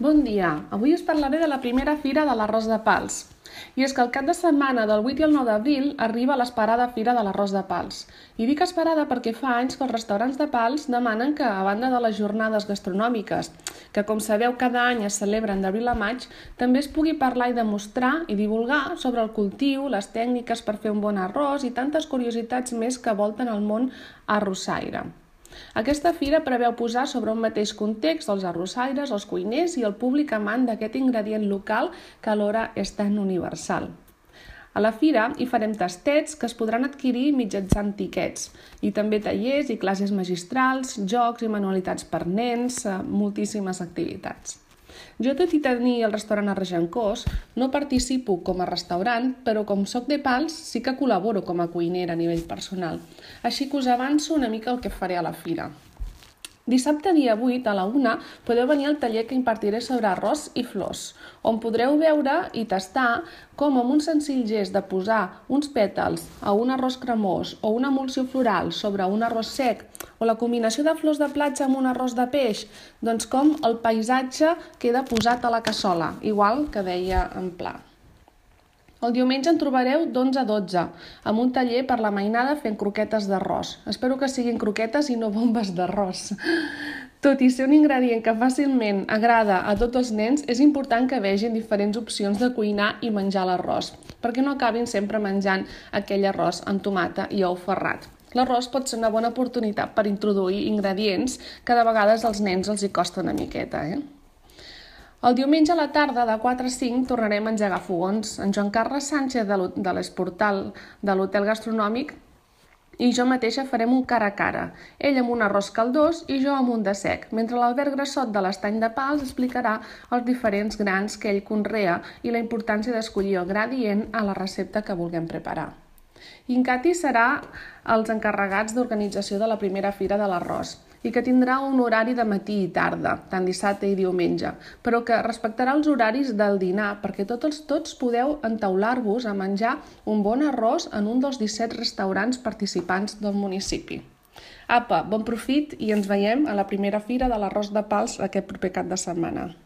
Bon dia, avui us parlaré de la primera fira de l'arròs de Pals. I és que el cap de setmana del 8 i el 9 d'abril arriba l'esperada fira de l'arròs de Pals. I dic esperada perquè fa anys que els restaurants de Pals demanen que, a banda de les jornades gastronòmiques, que com sabeu cada any es celebren d'abril a maig, també es pugui parlar i demostrar i divulgar sobre el cultiu, les tècniques per fer un bon arròs i tantes curiositats més que volten el món arrossaire. Aquesta fira preveu posar sobre un mateix context els arrossaires, els cuiners i el públic amant d'aquest ingredient local que alhora és tan universal. A la fira hi farem tastets que es podran adquirir mitjançant tiquets i també tallers i classes magistrals, jocs i manualitats per nens, moltíssimes activitats. Jo, tot i tenir el restaurant a Regencós, no participo com a restaurant, però com soc de Pals sí que col·laboro com a cuinera a nivell personal. Així que us avanço una mica el que faré a la fira. Dissabte dia 8 a la 1 podeu venir al taller que impartiré sobre arròs i flors, on podreu veure i tastar com amb un senzill gest de posar uns pètals a un arròs cremós o una emulsió floral sobre un arròs sec o la combinació de flors de platja amb un arròs de peix, doncs com el paisatge queda posat a la cassola, igual que deia en Pla. El diumenge en trobareu d'11 a 12, amb un taller per la mainada fent croquetes d'arròs. Espero que siguin croquetes i no bombes d'arròs. Tot i ser un ingredient que fàcilment agrada a tots els nens, és important que vegin diferents opcions de cuinar i menjar l'arròs, perquè no acabin sempre menjant aquell arròs amb tomata i ou ferrat. L'arròs pot ser una bona oportunitat per introduir ingredients que de vegades als nens els hi costa una miqueta, El diumenge a la tarda, de 4 a 5, tornarem a engegar fogons. En Joan Carles Sánchez, de l'Esportal de l'Hotel Gastronòmic, i jo mateixa farem un cara a cara. Ell amb un arròs caldós i jo amb un de sec, mentre l'Albert Grassot de l'Estany de Pals explicarà els diferents grans que ell conrea i la importància d'escollir el gra adient a la recepta que vulguem preparar. Incati serà els encarregats d'organització de la primera fira de l'arròs i que tindrà un horari de matí i tarda, tant dissabte i diumenge, però que respectarà els horaris del dinar perquè tots podeu entaular-vos a menjar un bon arròs en un dels 17 restaurants participants del municipi. Apa, bon profit i ens veiem a la primera fira de l'arròs de Pals aquest proper cap de setmana.